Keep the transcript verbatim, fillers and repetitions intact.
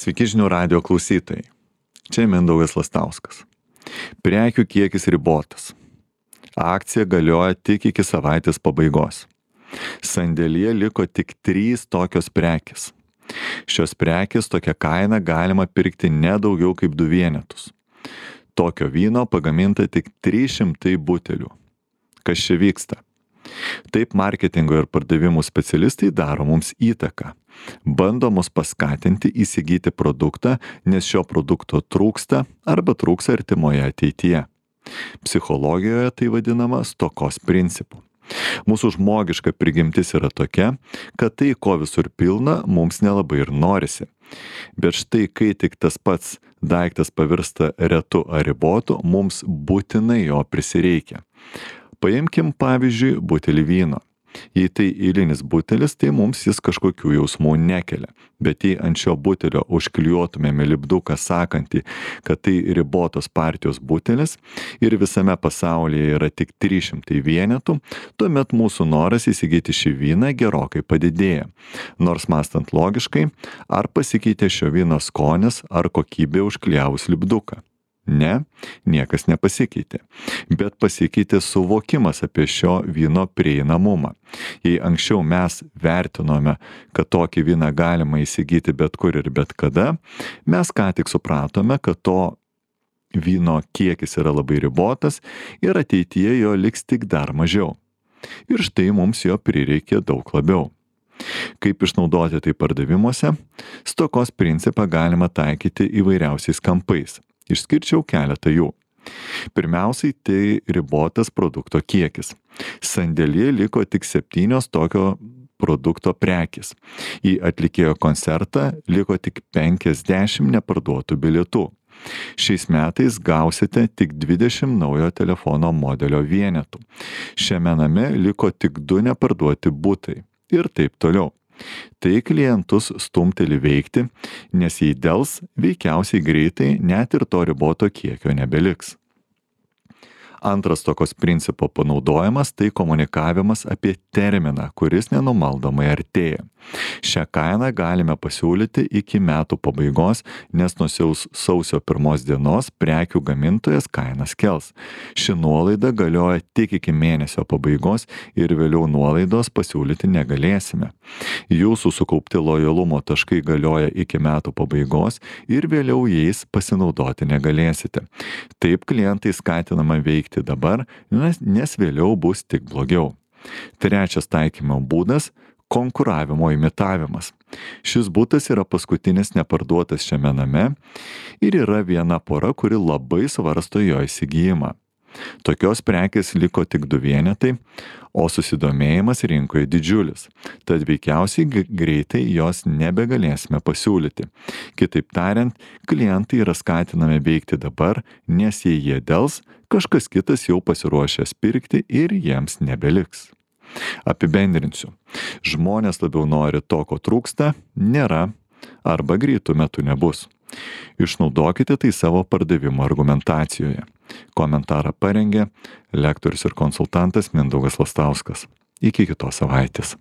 Sveiki žinių radijo klausytojai. Čia Mindaugas Lastauskas. Prekių kiekis ribotas. Akcija galioja tik iki savaitės pabaigos. Sandėlyje liko tik trys tokios prekės. Šios prekės tokia kaina galima pirkti ne daugiau kaip du vienetus. Tokio vyno pagaminta tik trys šimtai butelių. Kas čia vyksta? Taip marketingo ir pardavimų specialistai daro mums įtaką. Bando mus paskatinti įsigyti produktą, nes šio produkto trūksta arba trūks artimoje ateityje. Psichologijoje tai vadinama stokos principu. Mūsų žmogiška prigimtis yra tokia, kad tai, ko visur pilna, mums nelabai ir norisi. Bet štai, kai tik tas pats daiktas pavirsta retu ar ribotu, mums būtinai jo prisireikia. Paimkim pavyzdžiui butelį vyno. Jei tai eilinis butelis, tai mums jis kažkokių jausmų nekelia. Bet jei ant šio butelio užklijuotumėme lipduką sakantį, kad tai ribotos partijos butelis ir visame pasaulyje yra tik trys šimtai vienetų, tuomet mūsų noras įsigyti šį vyną gerokai padidėja. Nors mąstant logiškai, ar pasikeitė šio vyno skonis ar kokybė užklijavus lipduką? Ne, niekas nepasikeitė, bet pasikeitė suvokimas apie šio vyno prieinamumą. Jei anksčiau mes vertinome, kad tokį vyną galima įsigyti bet kur ir bet kada, mes ką tik supratome, kad to vyno kiekis yra labai ribotas ir ateityje jo liks tik dar mažiau. Ir štai mums jo prireikė daug labiau. Kaip išnaudoti tai pardavimuose? Stokos principą galima taikyti įvairiausiais kampais. Išskirčiau keletą jų. Pirmiausiai tai ribotas produkto kiekis. Sandėlyje liko tik septynios tokio produkto prekės. Į atlikėjo koncertą liko tik penkiasdešimt neparduotų bilietų. Šiais metais gausite tik dvidešimt naujo telefono modelio vienetų. Šiame name liko tik du neparduoti butai. Ir taip toliau. Tai klientus stumteli veikti, nes jei dels, veikiausiai greitai net ir to riboto kiekio nebeliks. Antras tokios principo panaudojimas tai komunikavimas apie terminą, kuris nenumaldomai artėja. Šią kainą galime pasiūlyti iki metų pabaigos, nes nuo sausio pirmos dienos prekių gamintojas kainas kels. Ši nuolaida galioja tik iki mėnesio pabaigos ir vėliau nuolaidos pasiūlyti negalėsime. Jūsų sukaupti lojalumo taškai galioja iki metų pabaigos ir vėliau jais pasinaudoti negalėsite. Taip klientai skatinama veikti dabar, nes, nes vėliau bus tik blogiau. Trečias taikymo būdas – konkuravimo imitavimas. Šis butas yra paskutinis neparduotas šiame name ir yra viena pora, kuri labai svarsto jo įsigijimą. Tokios prekės liko tik du vienetai, o susidomėjimas rinkoje didžiulis, tad veikiausiai greitai jos nebegalėsime pasiūlyti. Kitaip tariant, klientai yra skatinami veikti dabar, nes jei jie dels, kažkas kitas jau pasiruošęs pirkti ir jiems nebeliks. Apibendrinsiu. Žmonės labiau nori to, ko trūksta, nėra arba greitų metų nebus. Išnaudokite tai savo pardavimo argumentacijoje. Komentarą parengė lektorius ir konsultantas Mindaugas Lastauskas. Iki kitos savaitės.